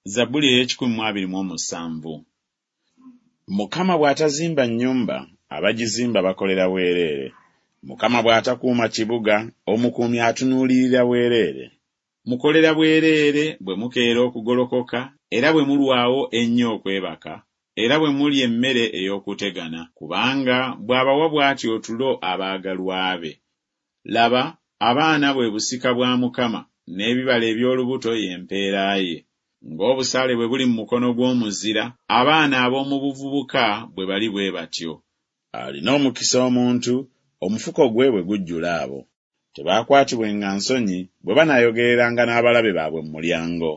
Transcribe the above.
Zabbuli ey'ekikumi mu abiri mu omusanvu. Mukama bw'atazimba nnyumba, abagizimba bakolera bwereere. Mukama bw'atakuuma kibuga, omukuumi atunuulirira bwereere. Mukolera bwereere bwe mukeera okugolokoka, era bwe mulwawo ennyo okwebaka, era bwe mulya emmere ey'okutegana, kubanga bw'abawa bw'atyo otulo abaagalwa be. Laba, abaana bwe busika bwa Mukama, n'ebibala eby'olubuto ye mpeera ye. Ng'obusaale bwe buli mu mukono gw'omuzira, abaana ab'omu buvubuka bwe bali bwe batyo. Alina omukisa omuntu, omufuko gwe bwe gujjula abo. Tebaakwatibwenga nsonyi bwe banaayogereranga n'abalabe baabwe mu mulyango.